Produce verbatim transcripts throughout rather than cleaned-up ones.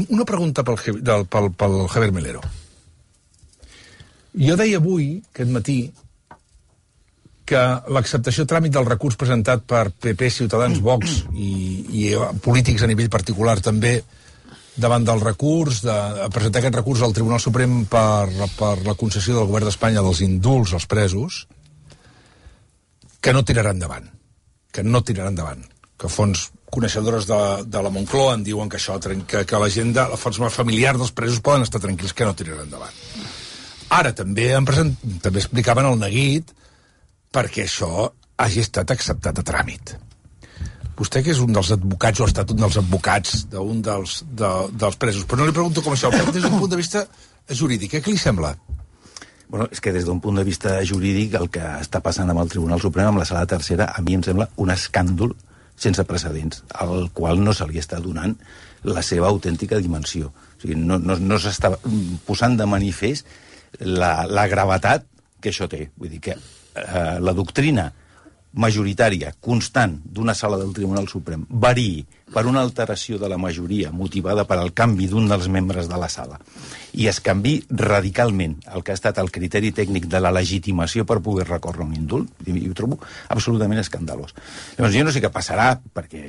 una pregunta pel, del, pel, pel Javier Melero. Jo deia avui, aquest matí, que l'acceptació a tràmit del recurs presentat per P P, Ciutadans, Vox i, i polítics a nivell particular també davant del recurs, de, de presentar aquest recurs al Tribunal Suprem per, per la concessió del govern d'Espanya dels indults als presos, que no tirarà endavant. Que no tirarà endavant. Que fons coneixedores de, de la Moncloa en diuen que això, que, que la gent de la força familiar dels presos poden estar tranquils, que no tirarà endavant. Ara també, en present, també explicaven el neguit perquè això hagi estat acceptat a tràmit. Vostè, que és un dels advocats, o ha estat un dels advocats d'un dels, de, dels presos, però no li pregunto com això, però des d'un punt de vista jurídic, eh? Què li sembla? Bueno, és que des d'un punt de vista jurídic el que està passant amb el Tribunal Suprem, amb la sala tercera, a mi em sembla un escàndol sense precedents, al qual no se li està donant la seva autèntica dimensió. O sigui, no, no, no s'està posant de manifest la, la gravetat que això té. Vull dir que eh, la doctrina majoritària, constant, d'una sala del Tribunal Suprem variï per una alteració de la majoria motivada per al canvi d'un dels membres de la sala i es canvi radicalment el que ha estat el criteri tècnic de la legitimació per poder recórrer un indult, i ho trobo absolutament escandalós. Llavors, jo no sé què passarà, perquè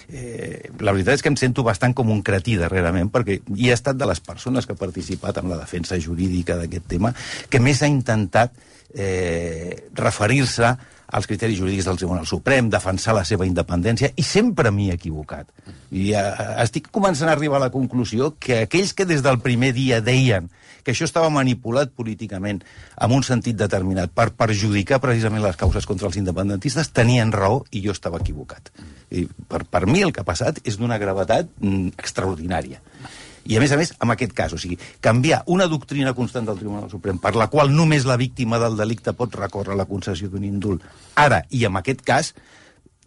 eh, la veritat és que em sento bastant com un cretí darrerament, perquè hi ha estat de les persones que ha participat en la defensa jurídica d'aquest tema que més ha intentat eh, referir-se als criteris jurídics del Tribunal Suprem, defensar la seva independència, i sempre m'hi he equivocat. I eh, estic començant a arribar a la conclusió que aquells que des del primer dia deien que això estava manipulat políticament en un sentit determinat per perjudicar precisament les causes contra els independentistes tenien raó i jo estava equivocat. I per, per mi el que ha passat és d'una gravetat mm, extraordinària. I, a més a més, en aquest cas, o sigui, canviar una doctrina constant del Tribunal Suprem per la qual només la víctima del delicte pot recórrer la concessió d'un indult, ara, i en aquest cas,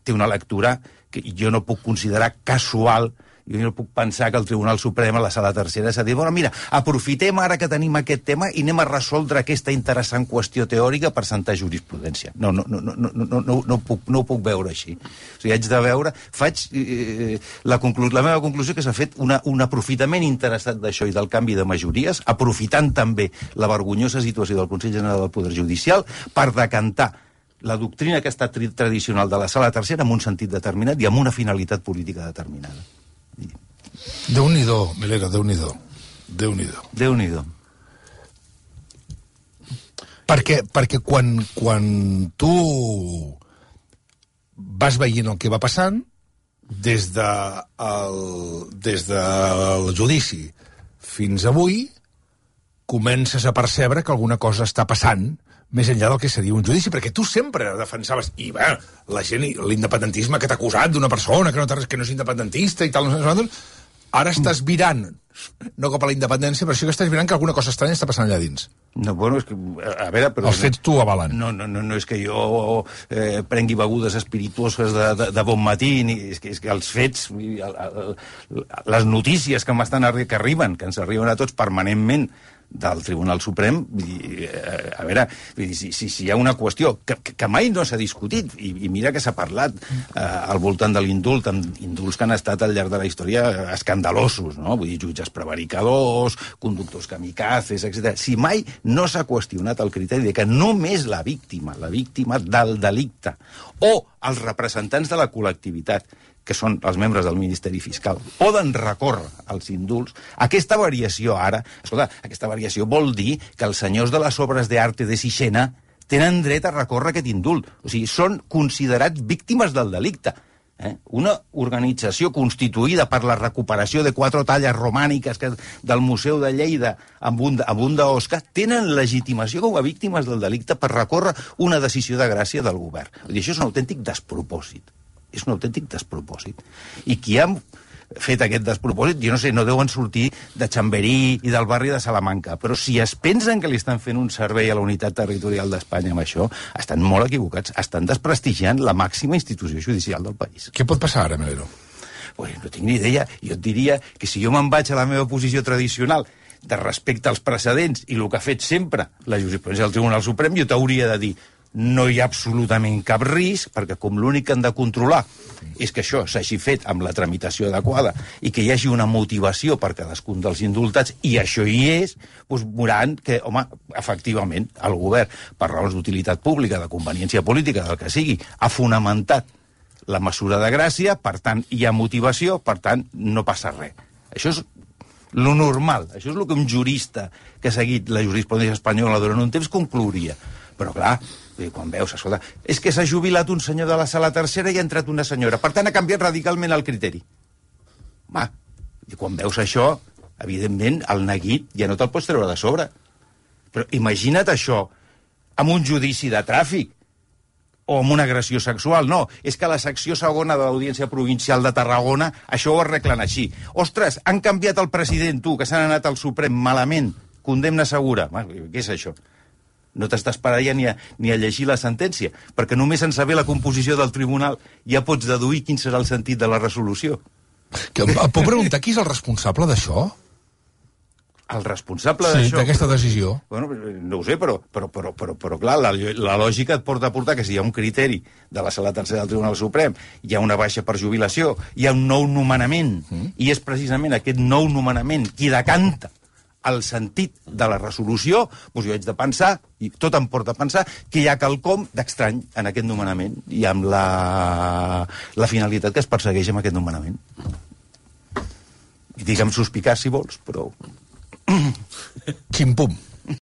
té una lectura que jo no puc considerar casual. Jo no puc pensar que el Tribunal Suprem, a la sala tercera, s'ha dit, bueno, mira, aprofitem ara que tenim aquest tema i anem a resoldre aquesta interessant qüestió teòrica per sentar jurisprudència. No, no, no, no, no, no, no, no, puc, no ho puc veure així. O sigui, haig de veure... Faig eh, la, conclu la meva conclusió que s'ha fet una, un aprofitament interessat d'això i del canvi de majories, aprofitant també la vergonyosa situació del Consell General del Poder Judicial per decantar la doctrina que ha estat tradicional de la sala tercera en un sentit determinat i amb una finalitat política determinada. Déu-n'hi-do, Melero, Déu-n'hi-do. Déu-n'hi-do. Déu-n'hi-do. Perquè, perquè quan, quan tu vas veient el que va passant, des, de el, des del judici fins avui, comences a percebre que alguna cosa està passant més enllà del que seria un judici, perquè tu sempre defensaves, i bé, la gent, l'independentisme que t'ha acusat d'una persona que no, que no és independentista i tal, no sé, ara estàs virant, no cap a la independència, però sí que estàs virant que alguna cosa estranya està passant allà dins. No, bueno, és que, a veure... Però els fets t'ho avalen. No, no, no, no és que jo eh, prengui begudes espirituoses de, de, de bon matí, ni, és, que, és que els fets, el, el, les notícies que m'estan que arriben, que ens arriben a tots permanentment, del Tribunal Suprem, a veure, si, si, si hi ha una qüestió que, que mai no s'ha discutit, i, i mira que s'ha parlat eh, al voltant de l'indult, amb indults que han estat al llarg de la història escandalosos, no? Vull dir, jutges prevaricadors, conductors kamikazes, etcètera. Si mai no s'ha qüestionat el criteri de que només la víctima, la víctima del delicte, o els representants de la col·lectivitat, que són els membres del Ministeri Fiscal, poden recórrer als indults, aquesta variació ara, escolta, aquesta variació vol dir que els senyors de les obres d'arte de Sixena tenen dret a recórrer aquest indult. O sigui, són considerats víctimes del delicte. Eh? Una organització constituïda per la recuperació de quatre talles romàniques que, del Museu de Lleida amb un, amb un d'Osca, tenen legitimació com a víctimes del delicte per recórrer una decisió de gràcia del govern. Vull dir, això és un autèntic despropòsit. És un autèntic despropòsit. I qui ha fet aquest despropòsit, jo no sé, no deuen sortir de Chamberí i del barri de Salamanca, però si es pensen que li estan fent un servei a la unitat territorial d'Espanya amb això, estan molt equivocats, estan desprestigiant la màxima institució judicial del país. Què pot passar ara, Melero? Pues no tinc ni idea. Jo et diria que si jo me'n vaig a la meva posició tradicional de respecte als precedents i el que ha fet sempre la jurisprudència del Tribunal Suprem, jo t'hauria de dir no hi ha absolutament cap risc, perquè com l'únic que han de controlar és que això s'hagi fet amb la tramitació adequada i que hi hagi una motivació per cadascun dels indultats, i això hi és, doncs veuran que, home, efectivament, el govern, per raons d'utilitat pública, de conveniència política, del que sigui, ha fonamentat la mesura de gràcia, per tant, hi ha motivació, per tant, no passa res. Això és lo normal, això és el que un jurista que ha seguit la jurisprudència espanyola durant un temps conclouria. Però, clar, quan veus, escolta, és que s'ha jubilat un senyor de la sala tercera i ha entrat una senyora. Per tant, ha canviat radicalment el criteri. Va, i quan veus això, evidentment, el neguit ja no te'l pots treure de sobre. Però imagina't això amb un judici de tràfic o amb una agressió sexual. No, és que la secció segona de l'Audiència Provincial de Tarragona això ho arreglen així. Ostres, han canviat el president, tu, que s'han anat al Suprem malament. Condemna segura. Què és això? No t'estàs parant ja ni a, ni a llegir la sentència, perquè només en saber la composició del tribunal ja pots deduir quin serà el sentit de la resolució. Que, em puc preguntar qui és el responsable d'això? El responsable sí, d'això... Sí, d'aquesta decisió. Bueno, no ho sé, però, però, però, però, però clar, la, la lògica et porta a portar que si hi ha un criteri de la sala tercera del Tribunal Suprem, hi ha una baixa per jubilació, hi ha un nou nomenament, mm. i és precisament aquest nou nomenament qui decanta el sentit de la resolució, doncs jo haig de pensar, i tot em porta a pensar, que hi ha quelcom d'estrany en aquest nomenament i amb la, la finalitat que es persegueix amb aquest nomenament. I digue'm suspicar si vols, però... Ximpum.